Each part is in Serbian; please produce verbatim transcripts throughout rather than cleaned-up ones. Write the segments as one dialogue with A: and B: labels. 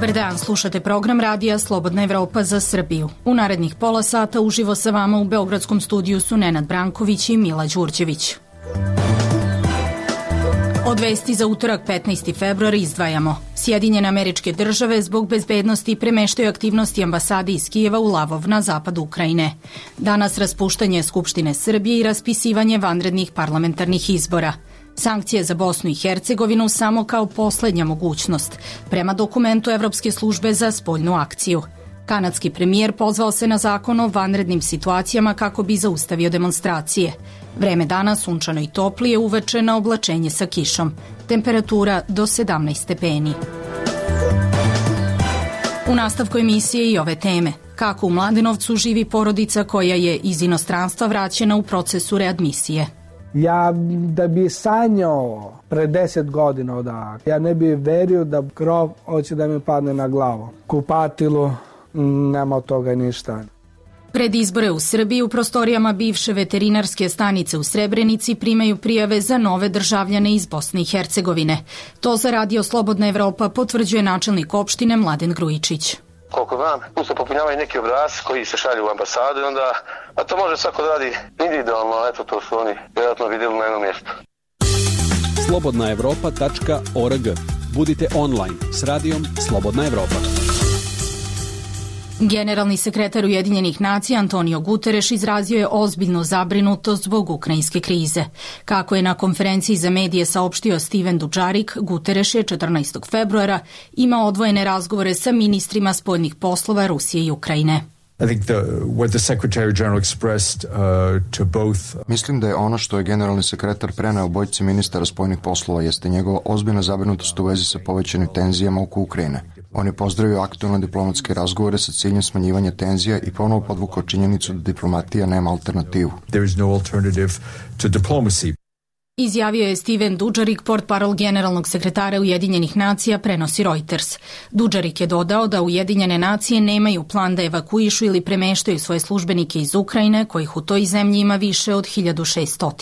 A: Dobar dan, slušate program radija Slobodna Evropa za Srbiju. U narednih pola sata uživo sa vama u Beogradskom studiju su Nenad Branković i Mila Đurđević. Od vesti za utorak petnaesti februar izdvajamo. Sjedinjene Američke Države zbog bezbednosti premeštaju aktivnosti ambasade iz Kijeva u Lavov na zapadu Ukrajine. Danas raspuštanje Skupštine Srbije i raspisivanje vanrednih parlamentarnih izbora. Sankcije za Bosnu i Hercegovinu samo kao poslednja mogućnost, prema dokumentu Evropske službe za spoljnu akciju. Kanadski premijer pozvao se na zakon o vanrednim situacijama kako bi zaustavio demonstracije. Vreme dana sunčano i toplije, uveče na oblačenje sa kišom. Temperatura do sedamnaest stepeni. U nastavku emisije i ove teme. Kako u Mladenovcu živi porodica koja je iz inostranstva vraćena u procesu readmisije.
B: Ja da bi sanjao pre deset godina odavde, ja ne bi verio da krov hoće da mi padne na glavu. Kupatilu, nema od toga ništa.
A: Pred izbore u Srbiji u prostorijama bivše veterinarske stanice u Srebrenici primaju prijave za nove državljane iz Bosne i Hercegovine. To za Radio Slobodna Evropa potvrđuje načelnik opštine Mladen Grujičić.
C: Koliko znam, tu se popunjavaju neki obrazi koji se šalju u ambasadu i onda, a to može svako da radi individualno, eto to su oni vjerojatno vidjeli na jednom mjestu.
D: slobodna evropa tačka org. Budite online s radijom Slobodna Evropa.
A: Generalni sekretar Ujedinjenih nacija Antonio Guterres izrazio je ozbiljnu zabrinutost zbog ukrajinske krize. Kako je na konferenciji za medije saopštio Steven Dujarric, Guterres je četrnaestog februara imao odvojene razgovore sa ministrima spoljnih poslova Rusije i Ukrajine.
E: I think the, what the Secretary General expressed uh, to both...
F: Mislim da je ono što je generalni sekretar preneo obojici ministara spoljnih poslova jeste njegova ozbiljna zabrinutost u vezi sa povećanim tenzijama oko Ukrajine. On je pozdravio aktualne diplomatske razgovore sa ciljem smanjivanja tenzija i ponovo podvukao činjenicu da diplomatija nema alternativu.
E: There is no alternative to diplomacy.
A: Izjavio je Steven Dujarric, portparol generalnog sekretara Ujedinjenih nacija, prenosi Reuters. Dujarric je dodao da Ujedinjene nacije nemaju plan da evakuišu ili premeštaju svoje službenike iz Ukrajine, kojih u toj zemlji ima više od hiljadu šesto.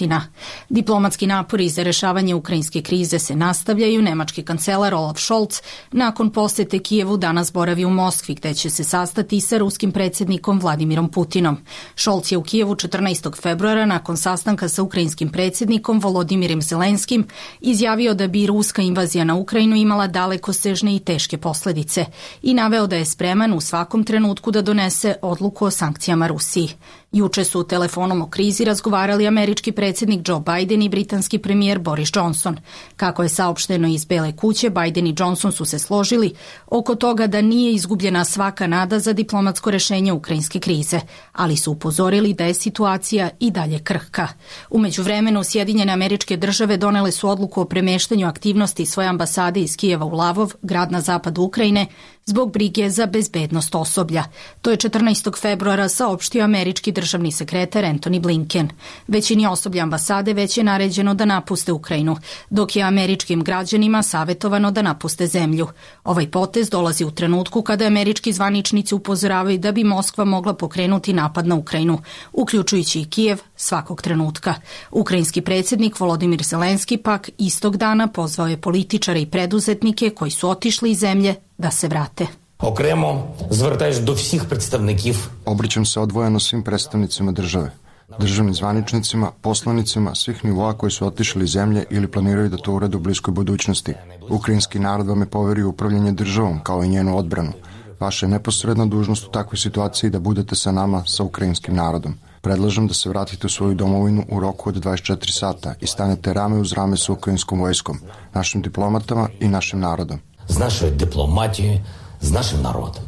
A: Diplomatski napori za rešavanje ukrajinske krize se nastavljaju. Nemački kancelar Olaf Scholz nakon posete Kijevu danas boravi u Moskvi, gde će se sastati sa ruskim predsjednikom Vladimirom Putinom. Scholz je u Kijevu četrnaestog februara nakon sastanka sa ukrajinskim predsjednikom Volodimirom Zelenskim izjavio da bi ruska invazija na Ukrajinu imala dalekosežne i teške posledice i naveo da je spreman u svakom trenutku da donese odluku o sankcijama Rusiji. Juče su telefonom o krizi razgovarali američki predsjednik Joe Biden i britanski premijer Boris Johnson. Kako je saopšteno iz Bele kuće, Biden i Johnson su se složili oko toga da nije izgubljena svaka nada za diplomatsko rešenje ukrajinske krize, ali su upozorili da je situacija i dalje krhka. U međuvremenu Sjedinjene Američke Države donele su odluku o premeštanju aktivnosti svoje ambasade iz Kijeva u Lavov, grad na zapadu Ukrajine, zbog brige za bezbednost osoblja. To je četrnaestog februara saopštio američki državni sekretar Antony Blinken. Većini osoblja ambasade već je naređeno da napuste Ukrajinu, dok je američkim građanima savetovano da napuste zemlju. Ovaj potez dolazi u trenutku kada američki zvaničnici upozoravaju da bi Moskva mogla pokrenuti napad na Ukrajinu, uključujući i Kijev svakog trenutka. Ukrajinski predsjednik Volodimir Zelenski pak istog dana pozvao je političare i preduzetnike koji su otišli iz zemlje da se vrate.
G: Окремо звертаюсь до всіх представників.
F: Obraćam se odvojeno svim predstavnicima države, državnim zvaničnicima, poslanicima svih nivoa koji su otišli iz zemlje ili planiraju da to urade u bliskoj budućnosti. Ukrajinski narod vam je poverio upravljanje državom kao i njenu odbranu. Vaša je neposredna dužnost u takvoj situaciji da budete sa nama, sa ukrajinskim narodom. Predlažem da se vratite u svoju domovinu u roku od dvadeset četiri sata i stanete rame uz rame sa ukrajinskom vojskom, našim diplomatama i našim narodom.
G: З нашою дипломатією, з нашим народом.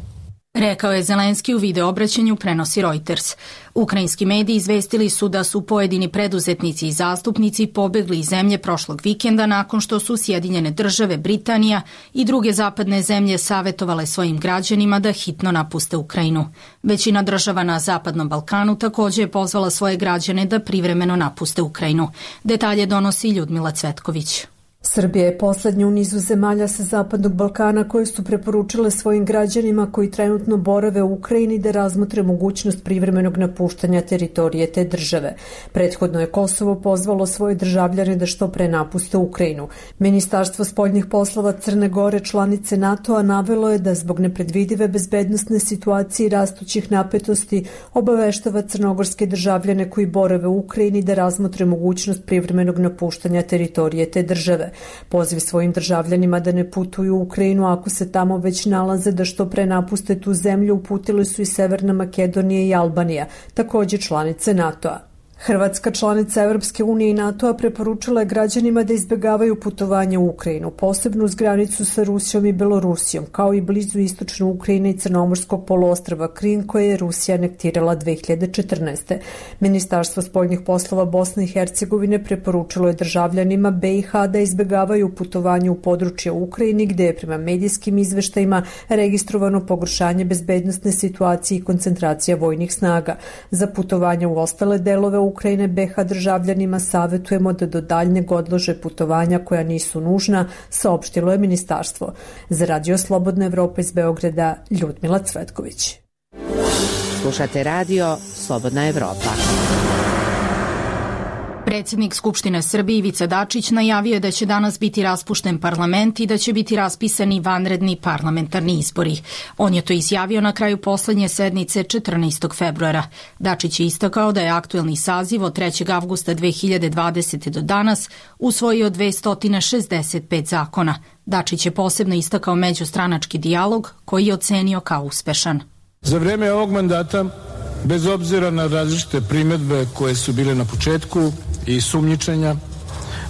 A: Rekao je Zelenski u videoobraćanju, prenosi Reuters. Ukrajinski mediji izvestili su da su pojedini preduzetnici i zastupnici pobegli iz zemlje prošlog vikenda nakon što su Sjedinjene Države, Britanija i druge zapadne zemlje savetovale svojim građanima da hitno napuste Ukrajinu. Većina država na Zapadnom Balkanu također je pozvala svoje građane da privremeno napuste Ukrajinu. Detalje donosi Ljudmila Cvetković.
H: Srbija je poslednja u nizu zemalja sa Zapadnog Balkana koje su preporučile svojim građanima koji trenutno borave u Ukrajini da razmotre mogućnost privremenog napuštanja teritorije te države. Prethodno je Kosovo pozvalo svoje državljane da što pre napuste Ukrajinu. Ministarstvo spoljnih poslova Crne Gore, članice NATO-a, navelo je da zbog nepredvidive bezbednosne situacije i rastućih napetosti obaveštava crnogorske državljane koji borave u Ukrajini da razmotre mogućnost privremenog napuštanja teritorije te države. Poziv svojim državljanima da ne putuju u Ukrajinu ako se tamo već nalaze da što pre napuste tu zemlju uputili su i Severna Makedonija i Albanija, takođe članice NATO-a. Hrvatska, članica Evropske unije i NATO-a, preporučila je građanima da izbegavaju putovanje u Ukrajinu, posebno uz granicu sa Rusijom i Belorusijom, kao i blizu istočne Ukrajine i Crnomorskog poluostrva Krim, koje je Rusija anektirala dve hiljade četrnaeste. Ministarstvo spoljnih poslova Bosne i Hercegovine preporučilo je državljanima B i H da izbegavaju putovanje u područje u Ukrajini, gde je prema medijskim izveštajima registrovano pogoršanje bezbednosne situacije i koncentracija vojnih snaga. Za putovanje u ostale delove u Ukrajine B H državljanima savetujemo da do daljnjeg odlože putovanja koja nisu nužna, saopštilo je ministarstvo. Za Radio Slobodna Evropa iz Beograda, Ljudmila Cvetković.
I: Slušate Radio Slobodna Evropa.
A: Predsjednik Skupštine Srbije Ivica Dačić najavio je da će danas biti raspušten parlament i da će biti raspisani vanredni parlamentarni izbori. On je to izjavio na kraju poslednje sednice četrnaestog februara. Dačić je istakao da je aktuelni saziv od trećeg avgusta dve hiljade dvadesete. do danas usvojio dvesta šezdeset pet zakona. Dačić je posebno istakao međustranački dijalog koji je ocenio kao uspešan.
J: Za vreme ovog mandata, bez obzira na različite primedbe koje su bile na početku i sumnjičenja,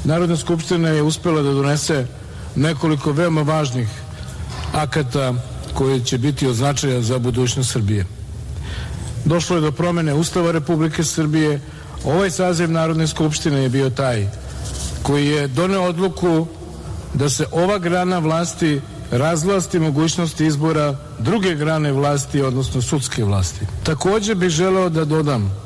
J: Narodna skupština je uspela da donese nekoliko veoma važnih akata koji će biti od značaja za budućnost Srbije. Došlo je do promene Ustava Republike Srbije. Ovaj saziv Narodne skupštine je bio taj koji je doneo odluku da se ova grana vlasti razvlasti mogućnosti izbora druge grane vlasti, odnosno sudske vlasti. Takođe bih želeo da dodam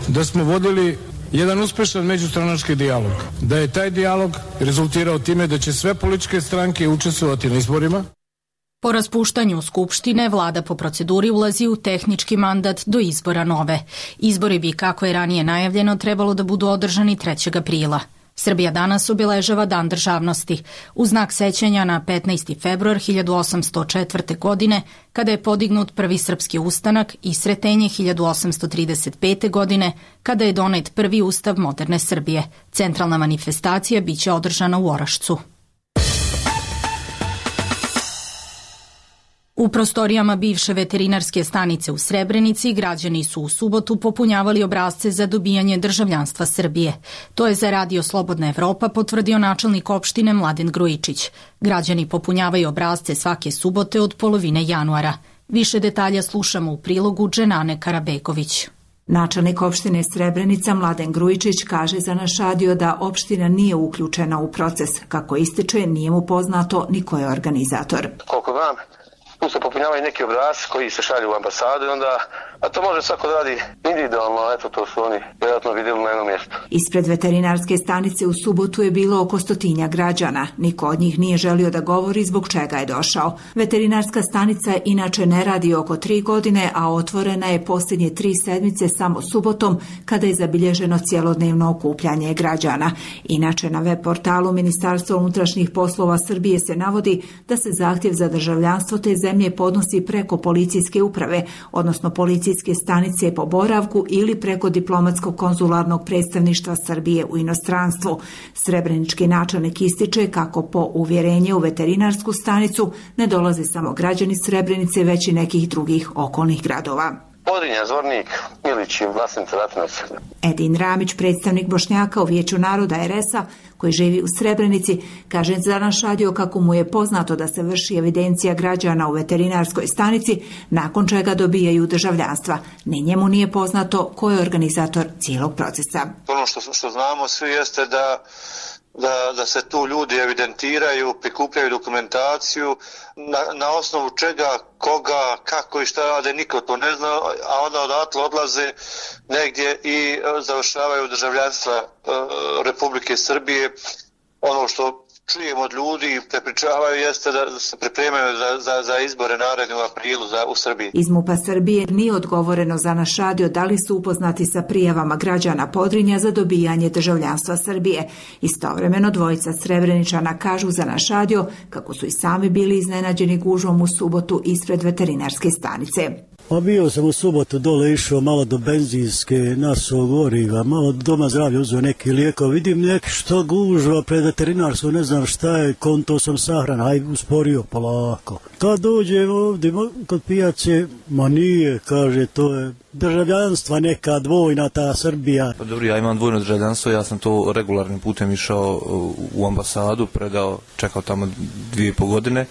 J: da smo vodili jedan uspešan međustranački dijalog, da je taj dijalog rezultirao time da će sve političke stranke učestvovati na izborima.
A: Po raspuštanju Skupštine, vlada po proceduri ulazi u tehnički mandat do izbora nove. Izbori bi, kako je ranije najavljeno, trebalo da budu održani trećeg aprila. Srbija danas obeležava Dan državnosti, u znak sećanja na petnaesti februar hiljadu osamsto četvrte. godine, kada je podignut prvi srpski ustanak, i Sretenje hiljadu osamsto trideset pete. godine, kada je donet prvi ustav moderne Srbije. Centralna manifestacija biće održana u Orašcu. U prostorijama bivše veterinarske stanice u Srebrenici građani su u subotu popunjavali obrasce za dobijanje državljanstva Srbije. To je za Radio Slobodna Evropa potvrdio načelnik opštine Mladen Grujičić. Građani popunjavaju obrasce svake subote od polovine januara. Više detalja slušamo u prilogu Dženane Karabegović.
K: Načelnik opštine Srebrenica Mladen Grujičić kaže za naš radio da opština nije uključena u proces. Kako ističe, nije mu poznato ni ko je organizator.
C: Koliko znam, tu se popunjavaju neki obrasci koji se šalju u ambasadu i onda, a to može svako da radi individualno, eto to su oni vjerojatno vidjeli na jednom mjestu.
K: Ispred veterinarske stanice u subotu je bilo oko stotinja građana. Niko od njih nije želio da govori zbog čega je došao. Veterinarska stanica inače ne radi oko tri godine, a otvorena je posljednje tri sedmice samo subotom, kada je zabilježeno cjelodnevno okupljanje građana. Inače, na web portalu Ministarstva unutrašnjih poslova Srbije se navodi da se zahtjev za državljanstvo te zemlje podnosi preko policijske uprave, odnosno policijske stanice po boravku ili preko diplomatskog konzularnog predstavništva Srbije u inostranstvu. Srebrenički načelnik ističe kako po uvjerenje u veterinarsku stanicu ne dolaze samo građani Srebrenice, već i nekih drugih okolnih gradova.
C: Podrinja, Zvornik, Milić i Vlasnica Ratinac.
K: Edin Ramić, predstavnik Bošnjaka u Vijeću naroda er es a, koji živi u Srebrenici, kaže za naš radio kako mu je poznato da se vrši evidencija građana u veterinarskoj stanici, nakon čega dobijaju državljanstva. Ni njemu nije poznato ko je organizator cijelog procesa.
L: Ono što, što znamo svi jeste da Da, da se tu ljudi evidentiraju, prikupljaju dokumentaciju, na, na osnovu čega, koga, kako i šta rade, niko to ne zna, a onda odatle odlaze negdje i završavaju državljanstva e, Republike Srbije. Ono što čujem od ljudi i prepričavaju jeste da se pripremaju za, za, za izbore naredne u aprilu za, u Srbiji.
K: Iz MUP-a Srbije nije odgovoreno za naš radio da li su upoznati sa prijavama građana Podrinja za dobijanje državljanstva Srbije. Istovremeno dvojica Srebreničana kažu za naš radio kako su i sami bili iznenađeni gužvom u subotu ispred veterinarske stanice.
M: Pa bio sam u subotu dole, išao malo do benzinske, nasuo goriva, malo do doma zdravlja uzeo neki lijekov, vidim nek što gužva pred veterinarstvo, ne znam šta je, konto sam sahrana, aj usporio polako. Kad dođem ovdje kod pijace, ma nije, kaže, to je državljanstva neka dvojna ta Srbija.
N: Pa dobro, ja imam dvojno državljanstvo, ja sam to regularnim putem išao u ambasadu, predao, čekao tamo dvije i po godine.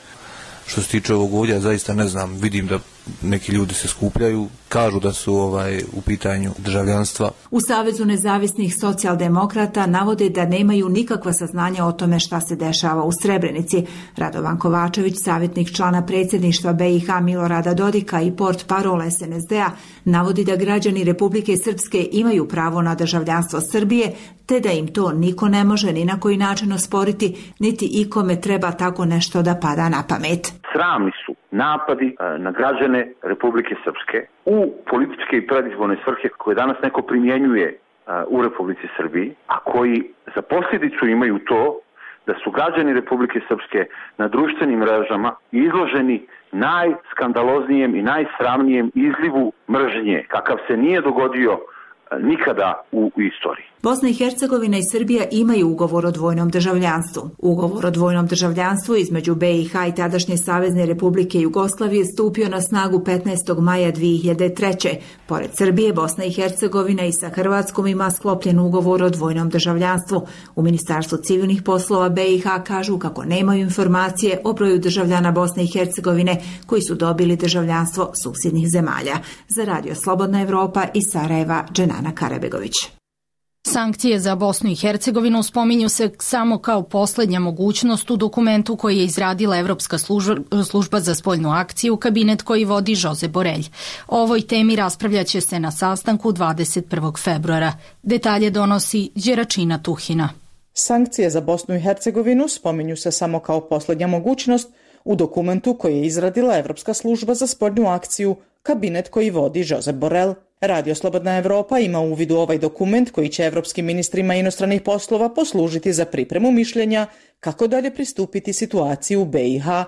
N: Što se tiče ovog ovdje, zaista ne znam, vidim da neki ljudi se skupljaju, kažu da su ovaj u pitanju državljanstva.
K: U Savezu nezavisnih socijaldemokrata navode da nemaju nikakva saznanja o tome šta se dešava u Srebrenici. Radovan Kovačević, savjetnik člana predsjedništva B i H Milorada Dodika i port parol S N S D-a, navodi da građani Republike Srpske imaju pravo na državljanstvo Srbije, te da im to niko ne može ni na koji način osporiti, niti ikome treba tako nešto da pada na pamet.
O: Sramni su napadi na građane Republike Srpske u političke i predizborne svrhe koje danas neko primjenjuje u Republici Srbiji, a koji za posljedicu imaju to da su građani Republike Srpske na društvenim mrežama izloženi najskandaloznijem i najsramnijem izlivu mržnje, kakav se nije dogodio nikada u istoriji.
K: Bosna i Hercegovina i Srbija imaju ugovor o dvojnom državljanstvu. Ugovor o dvojnom državljanstvu između B i H i tadašnje Savezne Republike Jugoslavije stupio na snagu petnaestog maja dvije hiljade treće. Pored Srbije, Bosna i Hercegovina i sa Hrvatskom ima sklopljen ugovor o dvojnom državljanstvu. U Ministarstvu civilnih poslova B i H kažu kako nemaju informacije o broju državljana Bosne i Hercegovine koji su dobili državljanstvo susjednih zemalja. Za Radio Slobodna Evropa iz Sarajeva, Dženana Karabegović.
A: Sankcije za Bosnu i Hercegovinu spominju se samo kao poslednja mogućnost u dokumentu koji je izradila Evropska služba za spoljnu akciju, kabinet koji vodi Josep Borrell. O ovoj temi raspravljaće se na sastanku dvadeset prvog februara. Detalje donosi Đeračina Tuhina.
P: Sankcije za Bosnu i Hercegovinu spominju se samo kao poslednja mogućnost u dokumentu koji je izradila Evropska služba za spoljnu akciju, kabinet koji vodi Josep Borrell. Radio Slobodna Evropa ima uvid u ovaj dokument koji će evropskim ministrima inostranih poslova poslužiti za pripremu mišljenja kako dalje pristupiti situaciji u B i H.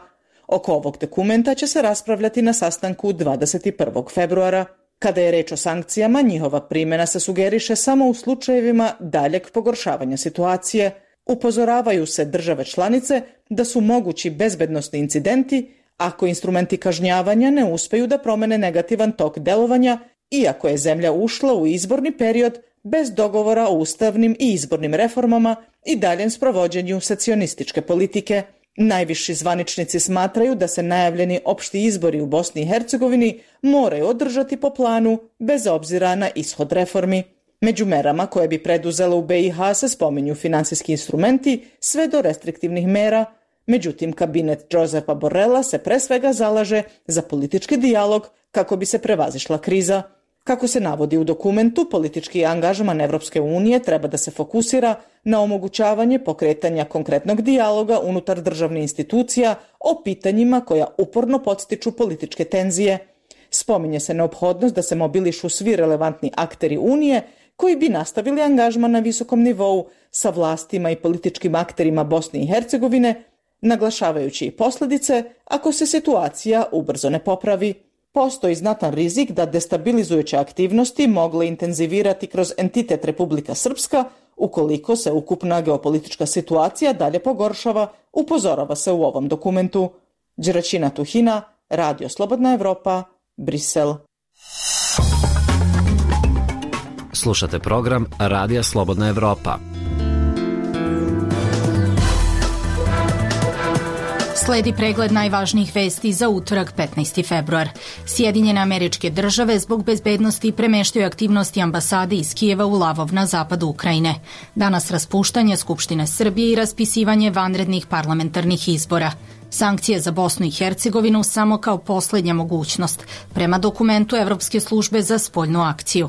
P: Oko ovog dokumenta će se raspravljati na sastanku dvadeset prvog februara. Kada je reč o sankcijama, njihova primjena se sugeriše samo u slučajevima daljeg pogoršavanja situacije. Upozoravaju se države članice da su mogući bezbednosni incidenti ako instrumenti kažnjavanja ne uspeju da promene negativan tok delovanja, iako je zemlja ušla u izborni period bez dogovora o ustavnim i izbornim reformama i daljem sprovođenju secionističke politike. Najviši zvaničnici smatraju da se najavljeni opšti izbori u Bosni i Hercegovini moraju održati po planu bez obzira na ishod reformi. Među merama koje bi preduzela u B i H se spominju finansijski instrumenti sve do restriktivnih mera. Međutim, kabinet Josepa Borrella se pre svega zalaže za politički dijalog kako bi se prevazišla kriza. Kako se navodi u dokumentu, politički angažman Evropske unije treba da se fokusira na omogućavanje pokretanja konkretnog dijaloga unutar državnih institucija o pitanjima koja uporno podstiču političke tenzije. Spominje se neophodnost da se mobilišu svi relevantni akteri Unije koji bi nastavili angažman na visokom nivou sa vlastima i političkim akterima Bosne i Hercegovine, naglašavajući i posljedice ako se situacija ubrzo ne popravi. Postoji znatan rizik da destabilizujuće aktivnosti mogle intenzivirati kroz entitet Republika Srpska ukoliko se ukupna geopolitička situacija dalje pogoršava, upozorava se u ovom dokumentu. Đeračina Tuhina, Radio Slobodna Evropa, Brisel.
Q: Slušate program Radija Slobodna Evropa.
A: Sledi pregled najvažnijih vesti za utorak petnaesti februar. Sjedinjene Američke Države zbog bezbednosti premeštaju aktivnosti ambasade iz Kijeva u Lavov na zapadu Ukrajine. Danas raspuštanje Skupštine Srbije i raspisivanje vanrednih parlamentarnih izbora. Sankcije za Bosnu i Hercegovinu samo kao poslednja mogućnost, prema dokumentu Evropske službe za spoljnu akciju.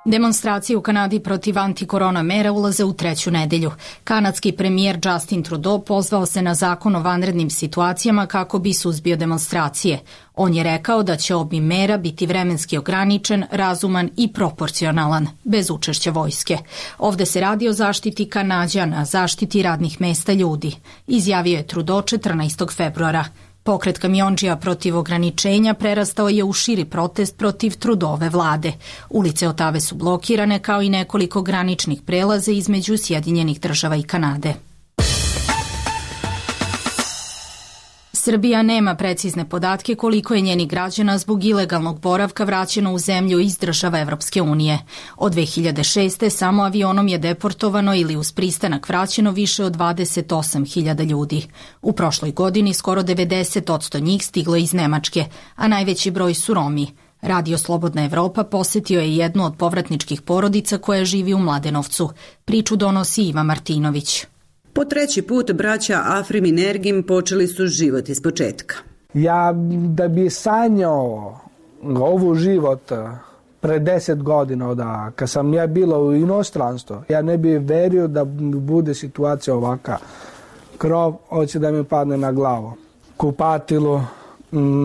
A: Demonstracije u Kanadi protiv antikorona mera ulaze u treću nedelju. Kanadski premijer Justin Trudeau pozvao se na zakon o vanrednim situacijama kako bi suzbio demonstracije. On je rekao da će obim mera biti vremenski ograničen, razuman i proporcionalan, bez učešća vojske. Ovde se radi o zaštiti Kanađana, zaštiti radnih mesta ljudi, izjavio je Trudeau četrnaestog februara. Pokret kamiondžija protiv ograničenja prerastao je u širi protest protiv Trudeauove vlade. Ulice Otave su blokirane kao i nekoliko graničnih prelaza između Sjedinjenih država i Kanade. Srbija nema precizne podatke koliko je njenih građana zbog ilegalnog boravka vraćeno u zemlju iz država Evropske unije. Od dve hiljade šeste. samo avionom je deportovano ili uz pristanak vraćeno više od dvadeset osam hiljada ljudi. U prošloj godini skoro devedeset posto njih stiglo iz Nemačke, a najveći broj su Romi. Radio Slobodna Evropa posetio je jednu od povratničkih porodica koja živi u Mladenovcu. Priču donosi Iva Martinović.
R: Po treći put braća Afrim i Nergim počeli su život iz početka.
B: Ja da bi sanjao ovu život pre deset godina, da kad sam ja bila u inostranstvu, ja ne bih verio da bude situacija ovaka. Krov hoće da mi padne na glavu. Kupatilo,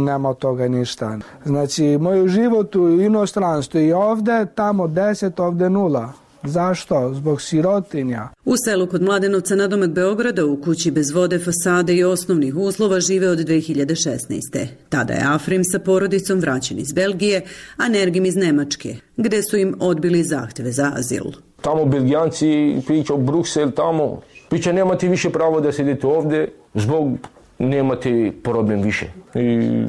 B: nema od toga ništa. Znači, moj život u inostranstvu i ovde, tamo deset, ovde nula. Zašto? Zbog sirotinja.
R: U selu kod Mladenovca nadomak Beograda u kući bez vode, fasade i osnovnih uslova žive od dve hiljade šesnaeste. Tada je Afrim sa porodicom vraćen iz Belgije, a Nergim iz Nemačke, gde su im odbili zahteve za azil.
S: Tamo Belgijanci pričaju Bruksel, tamo priča nemate više pravo da sedete ovde, zbog nemate problem više. I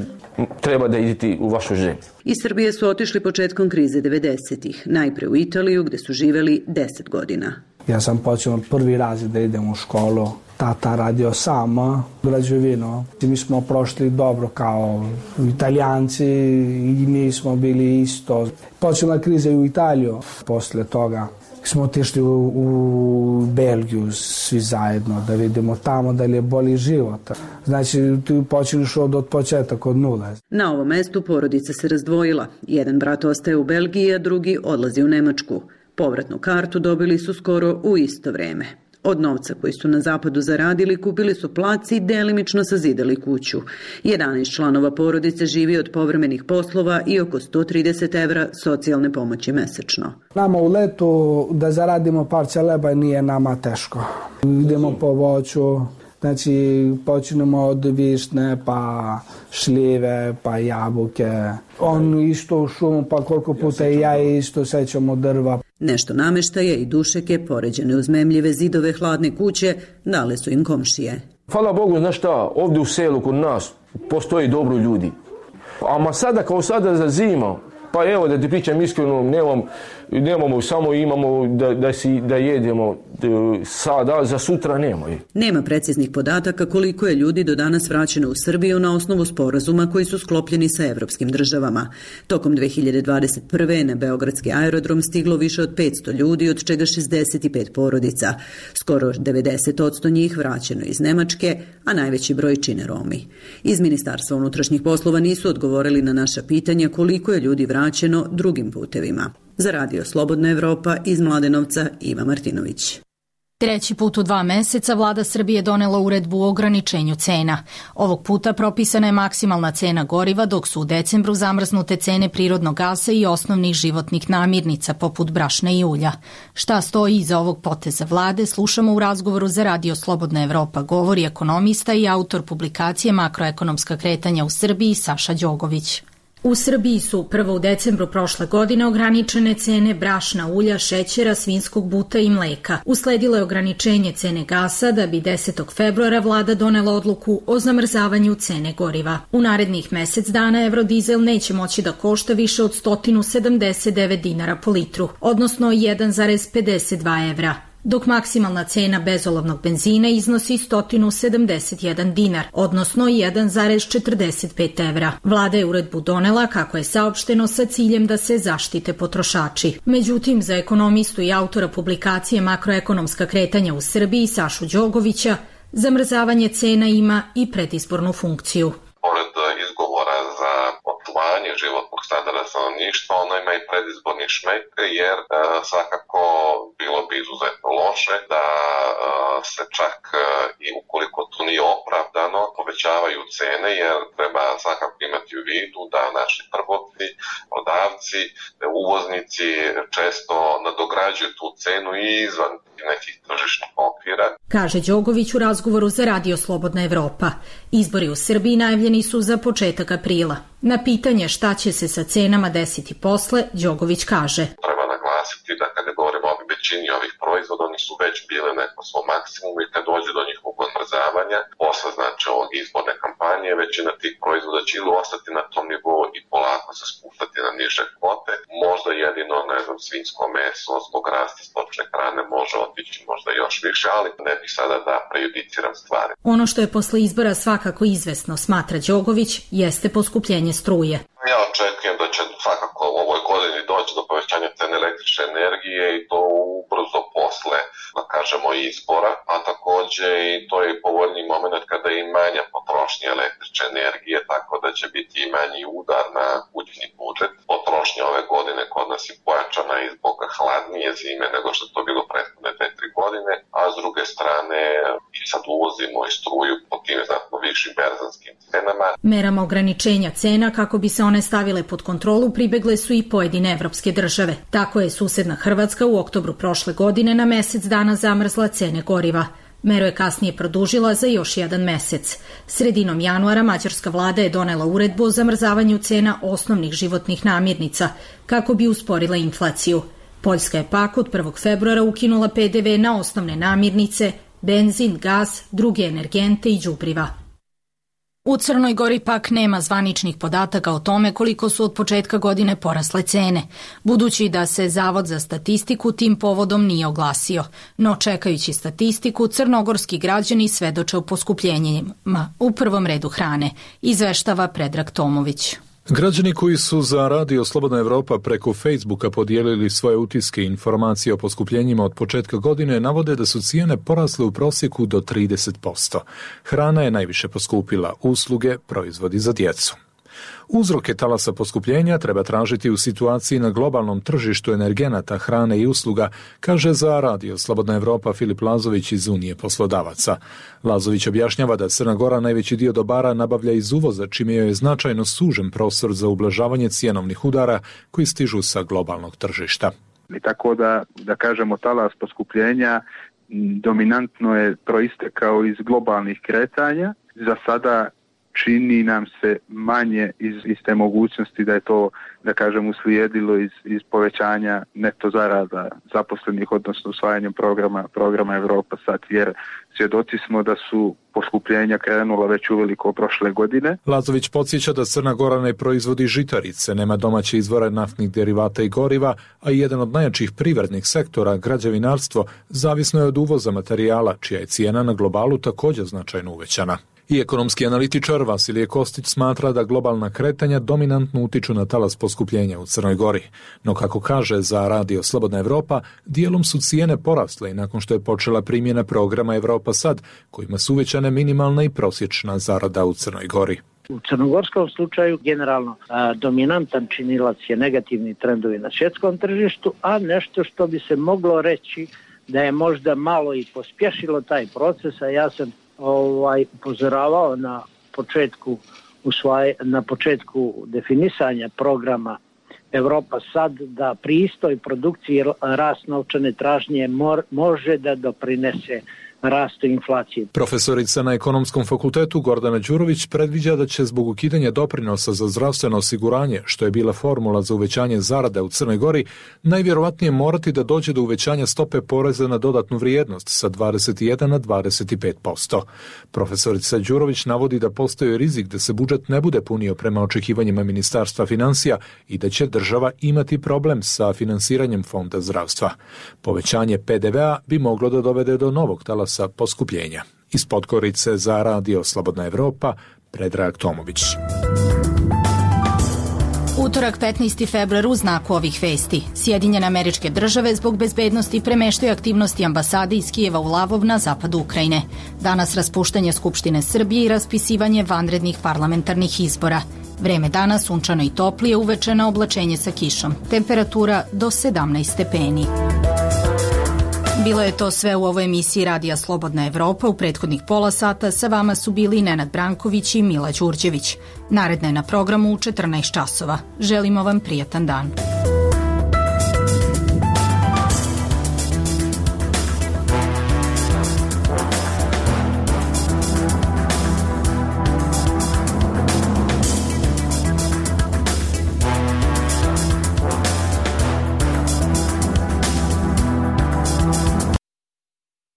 S: treba da idete u vašu zemlju.
R: Iz Srbije su otišli početkom krize devedesetih. Najpre u Italiju gde su živeli deset godina.
B: Ja sam počeo prvi razred da idem u školu. Tata radio sam građevinu. Mi smo prošli dobro kao Italijanci i mi smo bili isto. Počela kriza i u Italiju. Posle toga smo otišli u, u Belgiju svi zajedno da vidimo tamo da li je bolji život. Znači, ti počinješ od, od početaka, od nule.
R: Na ovom mestu porodica se razdvojila. Jedan brat ostaje u Belgiji, a drugi odlazi u Nemačku. Povratnu kartu dobili su skoro u isto vreme. Od novca koji su na zapadu zaradili kupili su plac i delimično sazidali kuću. jedanaest članova porodice živi od povremenih poslova i oko sto trideset evra socijalne pomoći mesečno.
B: Nama u letu da zaradimo parče leba nije nama teško. Idemo po voću, znači počinemo od višnje, pa šljive, pa jabuke. On isto u šumu, pa koliko puta i ja isto sećamo drva.
R: Nešto nameštaje i dušeke, poređene uz memljive zidove hladne kuće, dale su im komšije.
S: Hvala Bogu, znaš šta, ovdje u selu kod nas postoji dobro ljudi. A sada kao sada za zima, pa evo da ti pričam iskreno, nemam, nemamo, samo imamo da, da, si, da jedemo sada, za sutra nema.
R: Nema preciznih podataka koliko je ljudi do danas vraćeno u Srbiju na osnovu sporazuma koji su sklopljeni sa evropskim državama. Tokom dve hiljade dvadeset prve. na Beogradski aerodrom stiglo više od petsto ljudi, od čega šezdeset pet porodica. Skoro devedeset posto njih vraćeno iz Nemačke, a najveći broj čine Romi. Iz Ministarstva unutrašnjih poslova nisu odgovorili na naša pitanja koliko je ljudi vraćeno drugim putevima. Za Radio Slobodna Evropa iz Mladenovca, Iva Martinović.
A: Treći put u dva meseca vlada Srbije donela uredbu o ograničenju cena. Ovog puta propisana je maksimalna cena goriva, dok su u decembru zamrznute cene prirodnog gasa i osnovnih životnih namirnica, poput brašna i ulja. Šta stoji iza ovog poteza vlade, slušamo u razgovoru za Radio Slobodna Evropa, govori ekonomista i autor publikacije Makroekonomska kretanja u Srbiji Saša Đogović. U Srbiji su prvo u decembru prošle godine ograničene cene brašna, ulja, šećera, svinjskog buta i mleka. Usledilo je ograničenje cene gasa da bi desetog februara vlada donela odluku o zamrzavanju cene goriva. U narednih mesec dana evrodizel neće moći da košta više od sto sedamdeset devet dinara po litru, odnosno jedan zarez pedeset dva evra. Dok maksimalna cena bezolovnog benzina iznosi sto sedamdeset jedan dinar, odnosno jedan zarez četrdeset pet evra. Vlada je uredbu donela, kako je saopšteno, sa ciljem da se zaštite potrošači. Međutim, za ekonomistu i autora publikacije Makroekonomska kretanja u Srbiji Sašu Đogovića, zamrzavanje cena ima i predizbornu funkciju.
T: Pored izgovora za očuvanje životnog standarda stanovništva, ona ima i predizborni šmek, jer e, svakako bilo bi izuzetno loše da e, se čak e, i ukoliko to nije opravdano povećavaju cene, jer treba svakako imati u vidu da naši trgovci, prodavci, uvoznici često nadograđuju tu cenu i izvan nekih tržišnih okvira.
A: Kaže Đogović u razgovoru za Radio Slobodna Evropa. Izbori u Srbiji najavljeni su za početak aprila. Na pitanje šta će se sa cenama desiti posle, Đogović kaže:
T: Treba naglasiti da kada govorimo o većini ovih proizvoda, oni su već bile neko svom maksimumu i kad dođe do njihovog odmrzavanja, posle znači ovog izborne kampanje, većina tih proizvoda će ili ostati na tom nivou i polako se spuštati na niže kvote. Možda jedino, ne znam, svinjsko meso zbog rasta stočne hrane može otići možda još više, ali ne bih sada da prejudiciram stvari.
A: Ono što je posle izbora svakako izvesno, smatra Đogović, jeste poskupljenje struje.
T: Ja očekujem da će svakako u ovoj godini doći do povećanja cene električne energije i to ubrzo posle, da kažemo, izbora, a takođe i to je povoljniji moment kada je i manja potrošnja električne energije, tako da će biti i manji udar na kućni budžet. Potrošnja ove godine kod nas je pojačana i zbog hladnije zime nego što je to bilo prethodne dve tri godine, a s druge strane i sad uvozimo i struju po tim znatno višim berzanskim cenama.
A: Merama ograničenja cena kako bi se one stavile pod kontrolu pribegle su i pojedine evropske države. Tako je susedna Hrvatska u oktobru prošle godine na mesec dana zamrzla cene goriva. Meru je kasnije produžila za još jedan mesec. Sredinom januara mađarska vlada je donela uredbu o zamrzavanju cena osnovnih životnih namirnica kako bi usporila inflaciju. Poljska je pak od prvog februara ukinula pe de ve na osnovne namirnice, benzin, gas, druge energente i đubriva. U Crnoj Gori pak nema zvaničnih podataka o tome koliko su od početka godine porasle cene, budući da se Zavod za statistiku tim povodom nije oglasio. No čekajući statistiku, crnogorski građani svedoče o poskupljenjima, u prvom redu hrane, izveštava Predrag Tomović.
E: Građani koji su za Radio Slobodna Evropa preko Facebooka podijelili svoje utiske i informacije o poskupljenjima od početka godine navode da su cijene porasle u prosjeku do trideset posto. Hrana je najviše poskupila, usluge, proizvodi za djecu. Uzroke talasa poskupljenja treba tražiti u situaciji na globalnom tržištu energenata, hrane i usluga, kaže za Radio Slobodna Evropa Filip Lazović iz Unije poslodavaca. Lazović objašnjava da Crna Gora najveći dio dobara nabavlja iz uvoza, čime je značajno sužen prostor za ublažavanje cjenovnih udara koji stižu sa globalnog tržišta.
U: I tako da, da kažemo, talas poskupljenja dominantno je proistekao iz globalnih kretanja. Za sada čini nam se manje iz, iz te mogućnosti da je to, da kažem, uslijedilo iz, iz povećanja neto zarada zaposlenih, odnosno usvajanjem programa, programa Evropa sad, jer svjedoci smo da su poskupljenja krenula već uveliko prošle godine.
E: Lazović podsjeća da Crna Gora ne proizvodi žitarice, nema domaće izvore naftnih derivata i goriva, a jedan od najjačih privrednih sektora, građevinarstvo, zavisno je od uvoza materijala, čija je cijena na globalu također značajno uvećana. I ekonomski analitičar Vasilije Kostić smatra da globalna kretanja dominantno utiču na talas poskupljenja u Crnoj Gori. No kako kaže za Radio Slobodna Evropa, dijelom su cijene porasle i nakon što je počela primjena programa Evropa Sad, kojima su uvećane minimalna i prosječna zarada u Crnoj Gori.
V: U crnogorskom slučaju generalno a, dominantan činilac je negativni trendovi na svjetskom tržištu, a nešto što bi se moglo reći da je možda malo i pospješilo taj proces, a ja sam ovaj upozoravao na početku usvaj, na početku definisanja programa Evropa Sad da pri istoj produkciji rast novčane tražnje mor, može da doprinese rastu inflacije.
E: Profesorica na Ekonomskom fakultetu Gordana Đurović predviđa da će zbog ukidanja doprinosa za zdravstveno osiguranje, što je bila formula za uvećanje zarada u Crnoj Gori, najvjerovatnije morati da dođe do uvećanja stope poreza na dodatnu vrijednost sa dvadeset jedan na dvadeset pet posto. Profesorica Đurović navodi da postoji rizik da se budžet ne bude punio prema očekivanjima Ministarstva financija i da će država imati problem sa finansiranjem fonda zdravstva. Povećanje pe de vea bi moglo da dovede do novog talasa sa poskupljenja. Iz Podgorice za Radio Slobodna Evropa, Predrag Tomović.
A: Utorak petnaesti februar u znaku ovih vesti. Sjedinjene Američke Države zbog bezbednosti premeštaju aktivnosti ambasade iz Kijeva u Lavov na zapadu Ukrajine. Danas raspuštanje Skupštine Srbije i raspisivanje vanrednih parlamentarnih izbora. Vreme dana sunčano i toplije, uveče na oblačenje sa kišom. Temperatura do sedamnaest stepeni. Bilo je to sve u ovoj emisiji Radija Slobodna Evropa. U prethodnih pola sata sa vama su bili Nenad Branković i Mila Đurđević. Naredna je na programu u četrnaest časova. Želimo vam prijatan dan.